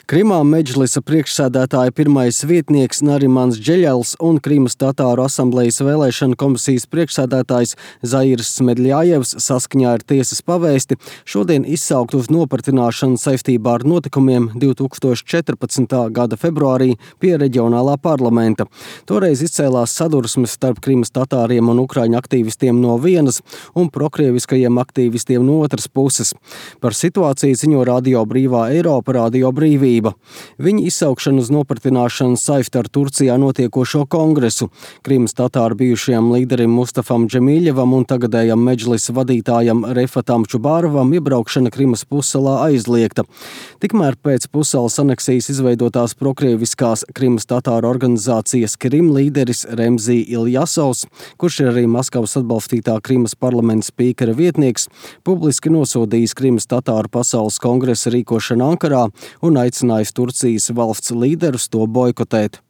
Krimā Medžlisa priekšsēdētāja pirmais vietnieks Narimans Džeļels un Krimas tatāru asamblejas vēlēšanu komisijas priekšsēdētājs Zairs Smedļājevs saskaņā ar tiesas pavēsti šodien izsaukt uz nopratināšanu saistībā ar notikumiem 2014. gada februārī pie reģionālā parlamenta. Toreiz izcēlās sadursmes starp Krimas tatāriem un ukraiņu aktīvistiem no vienas un prokrieviskajiem aktīvistiem no otras puses. Par situāciju ziņo Radio Brīvā Eiropa, Radio Brīvība. Viņa izsaukšanu uz nopratināšanu saista ar Turcijā notiekošo kongresu. Krimas tatāru bijušajam līderim Mustafam Džemīļevam un tagadējam Medžlisa vadītājam Refatam Čubārovam iebraukšana Krimas pussalā aizliegta. Tikmēr pēc pussalas aneksijas izveidotās prokrieviskās Krimas tatāru organizācijas Krim līderis Remzī Iljasovs, kurš ir arī Maskavas atbalstītā Krimas parlamenta spīkera vietnieks, publiski nosodījis Krimas tatāru pasaules kongresa rīkošanu Ankarā un aicinājis Turcijas valsts līderus to boikotēt.